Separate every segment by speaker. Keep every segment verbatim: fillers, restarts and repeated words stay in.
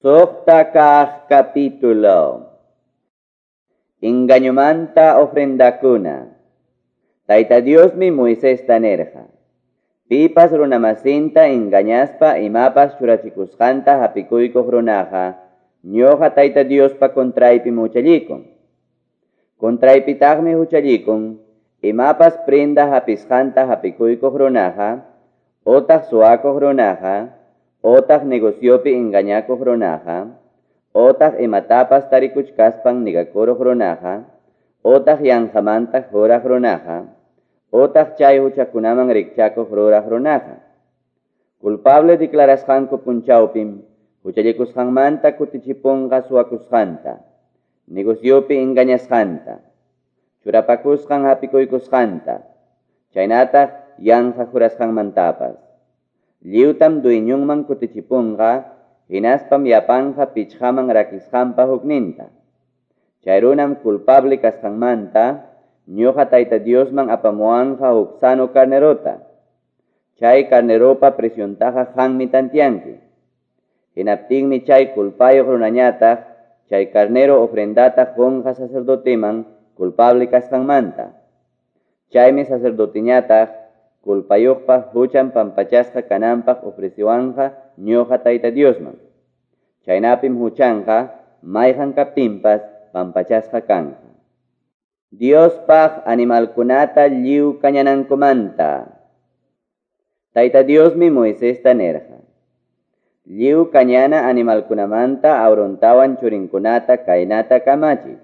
Speaker 1: Suqta kaq capítulo. Engañomanta ofrendakuna. Tayta Diosmi Moisesta nirqa. Pipas runamasinta engañaspa imapas churachikusqanta hapikuykuq runaqa, ñuqa Tayta Diospa contraypim huchallikun. Contraypitaqmi huchallikun, imapas prenda hapisqanta hapikuykuq runaqa, otaq suwakuq runaqa, otaq negociopi engañakuq runaqa, otaq imatapas tarikuchkaspan negakuruq runaqa, otaq yanqamanta juraq runaqa, otaq chay huchakunaman rikchakuq ruraq runaqa. Culpable declarasqanku punchawpim, huchallikusqanmanta kutichipunqa suwakusqanta, negociopi engañasqanta, churapakusqan hapikuykusqanta, chaynataq yanqa jurasqanmantapas. Lliwtam dueñonman kutichipunqa, hinaspam yapanqa pichqaman rakisqanpa hukninta. Chay runam culpable kasqanmanta, ñuqa Tayta Diosman apamuwanqa huk sano carnerota. Chay carneropa preciontaqa qanmi tantianki. Hinaptinmi chay culpayuq runañataq, chay carnero ofrendata qunqa sacerdoteman culpable kasqanmanta. Chaymi sacerdoteñataq culpayuqpa huchan pampachasqa kananpaq ofreciwanqa ñuqa Tayta Diosman. Chaynapim huchanqa mayqan kaptinpas pampachasqa kanqa. Diospaq animalkunata lliw kañanankumanta. Tayta Diosmi Moisesta nirqa. Lliw kañana animalkunamanta Aarontawan churinkunata kaynata kamachiy.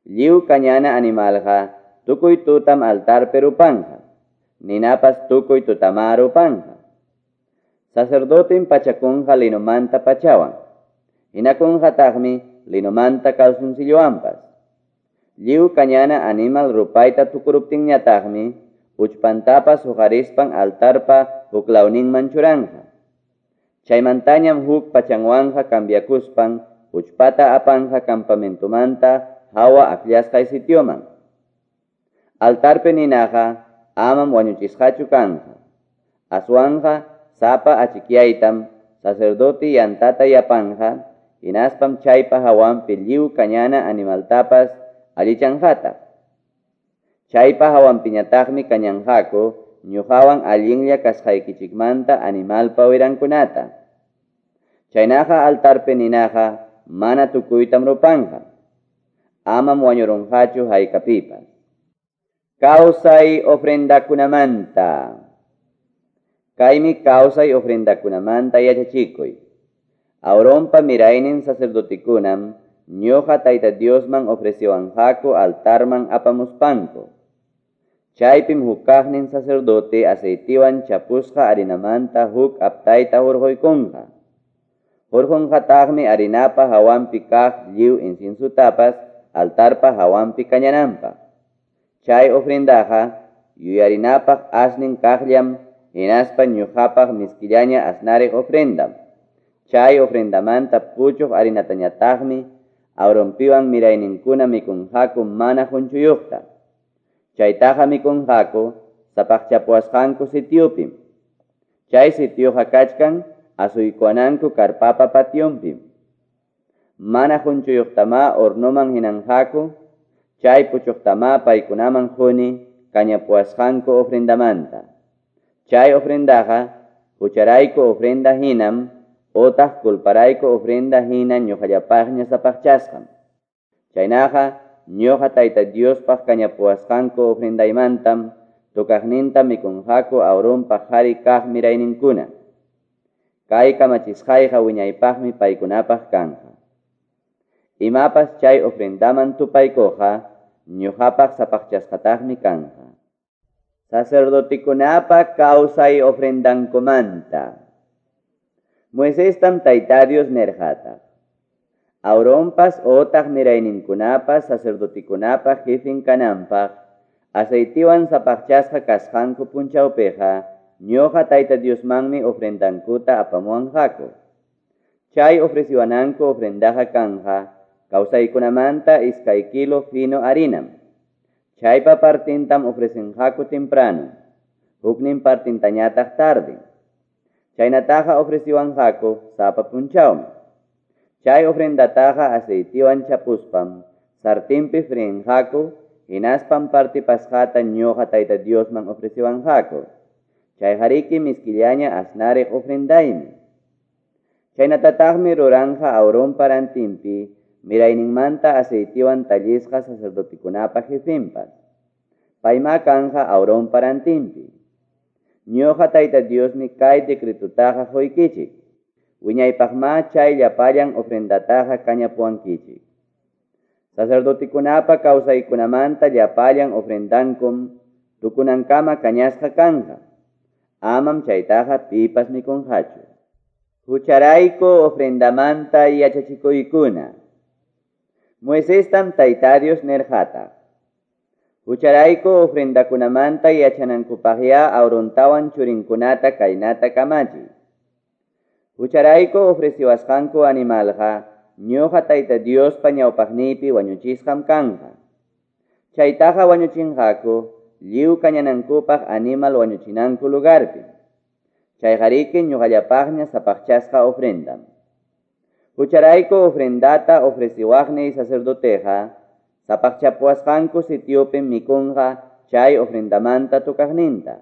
Speaker 1: Lliw kañana animalqa tukuy tutam altarpi rupanqa, ninapas tukuy tutama rupanqa. Sacerdotem pachakunqa linomanta pachawan, hinakunqataqmi linomanta calzoncillowanpas. Lliw kañana animal rupayta tukuruptinñataqmi uchpantapas huqarispan altarpa huklawninman churanqa. Chaymantañam huk pachanwanqa cambiakuspan uchpata apanqa campamentomanta hawa akllasqay sitioman. Altarpi ninaqa amam wañuchisqachu kanqa. Aswanqa sapa achikyaytam sacerdote yantata yapanqa, hinaspam chaypa hawanpi lliw kañana animaltapas allichanqataq. Chaypa hawanpiñataqmi kañanqaku ñuqawan allinlla kasqaykichikmanta animalpa wirankunata. Chaynaqa altarpi ninaqa mana tukuytam rupanqa. Amam wañurunqachu haykapipas. Kawsay ofrendakunamanta. Kaymi kawsay ofrendakunamanta yachachikuy. Aaronpa miraynin sacerdotekunam ñuqa Tayta Diosman ofreciwanqaku altarman apamuspanku. Chaypim hukaqnin sacerdote aceitiwan chapusqa harinamanta huk aptayta hurquykunqa. Hurqunqataqmi harinapa hawanpi kaq lliw inciensutapas altarpa hawanpi kañananpaq. Chay ofrendaqa yuyarinapaq asnin kaqllam hinaspa ñuqapaq miskillaña asnariq ofrendam. Chay ofrendamanta puchuq harinatañataqmi Aaronpiwan mirayninkuna mikunqaku mana qunchuyuqta. Chaytaqa mikunqaku sapaqchapuwasqanku sitiopim. Chay sitioqa kachkan asuykuwananku karpapa pationpim. Mana qunchuyuqtamá hornoman hinanqaku, chay puchuqtamá paykunaman quni kañapuwasqanku ofrendamanta. Chay ofrendaqa hucharayku ofrenda hinam, otaq culparayku ofrenda hina ñuqallapaqña sapaqchasqam. Chaynaqa ñuqa Tayta Diospaq kañapuwasqanku ofrendaymantam tukaqninta mikunqaku Aaronpa qhari kaq mirayninkuna. Kay kamachisqayqa wiñaypaqmi paykunapaq kanqa. Imapas chay ofrendaman tupaykuqqa ñuqapaq sapaqchasqataqmi kanqa. Sacerdotekunapa kawsay ofrendankumanta. Moisestam Tayta Dios nirqataq. Aaronpas otaq mirayninkunapas sacerdotekunapa jefin kananpaq aceitiwan sapaqchasqa kasqanku punchawpiqa ñuqa Tayta Diosmanmi ofrendankuta apamuwanqaku. Chay ofreciwananku ofrendaqa kanqa kawsaykunamanta iskay kilo fino harinam. Chaypa partintam ofrecenqaku temprano, huknin partintañataq tarde. Chaynataqa ofreciwanqaku sapa punchawmi. Chay ofrendataqa aceitiwan chapuspam sartinpi friinqaku, hinaspam partipasqata ñuqa Tayta Diosman ofreciwanqaku. Chayqariki miskillaña asnariq ofrendaymi. Chaynatataqmi ruranqa Aaronpa rantinpi mirayninmanta aceitiwan tallisqa sacerdotekunapa jefenpas. Paymá kanqa Aaronpa rantinpi. Ñuqa Tayta Diosmi kay decretutaqa quykichik. Wiñaypaqmá chay llapallan ofrendataqa kañapuwankichik. Sacerdotekunapa kawsaykunamanta llapallan ofrendankum tukunankama kañasqa kanqa. Amam chaytaqa pipas mikunqachu. Hucharayku ofrendamanta yachachikuykuna. Moisestam Tayta Dios nirqataq: Hucharayku ofrendakunamanta yachanankupaqyá Aarontawan churinkunata kaynata kamachiy. Hucharayku ofreciwasqanku animalqa ñuqa Tayta Diospa ñawpaqniypi wañuchisqam kanqa. Chaytaqa wañuchinqaku lliw kañanankupaq animal wañuchinanku lugarpi. Chayqariki ñuqallapaqña sapaqchasqa ofrendam. Hucharayku ofrendata ofreciwaqniy sacerdoteqa sapaqchapuwasqanku sitiopim mikunqa chay ofrendamanta tukaqninta.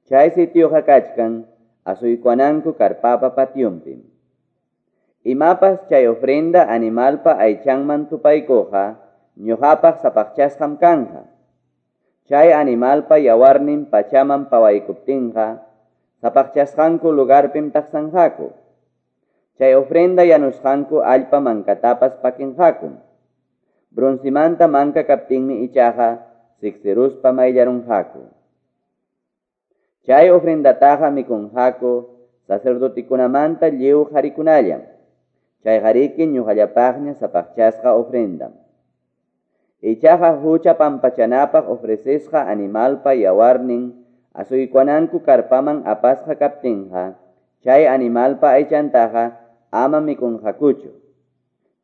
Speaker 1: Chay sitioqa kachkan asuykuananku karpapa pationpim. Imapas chay ofrenda animalpa aychanman tupaykuqa ñuqapaq sapaqchasqam kanqa. Chay animalpa yawarnin pachaman pawaykuptinqa sapaqchasqanku lugarpim taqsanqaku. Chay ofrenda yanusqanku allpa mankatapas pakinqakum. Broncimanta manka kaptinmi ichaqa siksiruspa mayllarunqaku. Chay ofrendataqa mikunqaku sacerdotekunamanta lliw qharikunallam. Chayqariki ñuqallapaqña sapaqchasqa ofrendam. Ichaqa hucha pampachanapaq ofrecisqa animalpa yawarnin asuykuananku karpaman apasqa kaptinqa chay animalpa aychantaqa ama mikunqakuchu.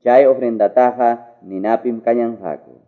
Speaker 1: Chay ofrendataqa ninapim kañanqaku.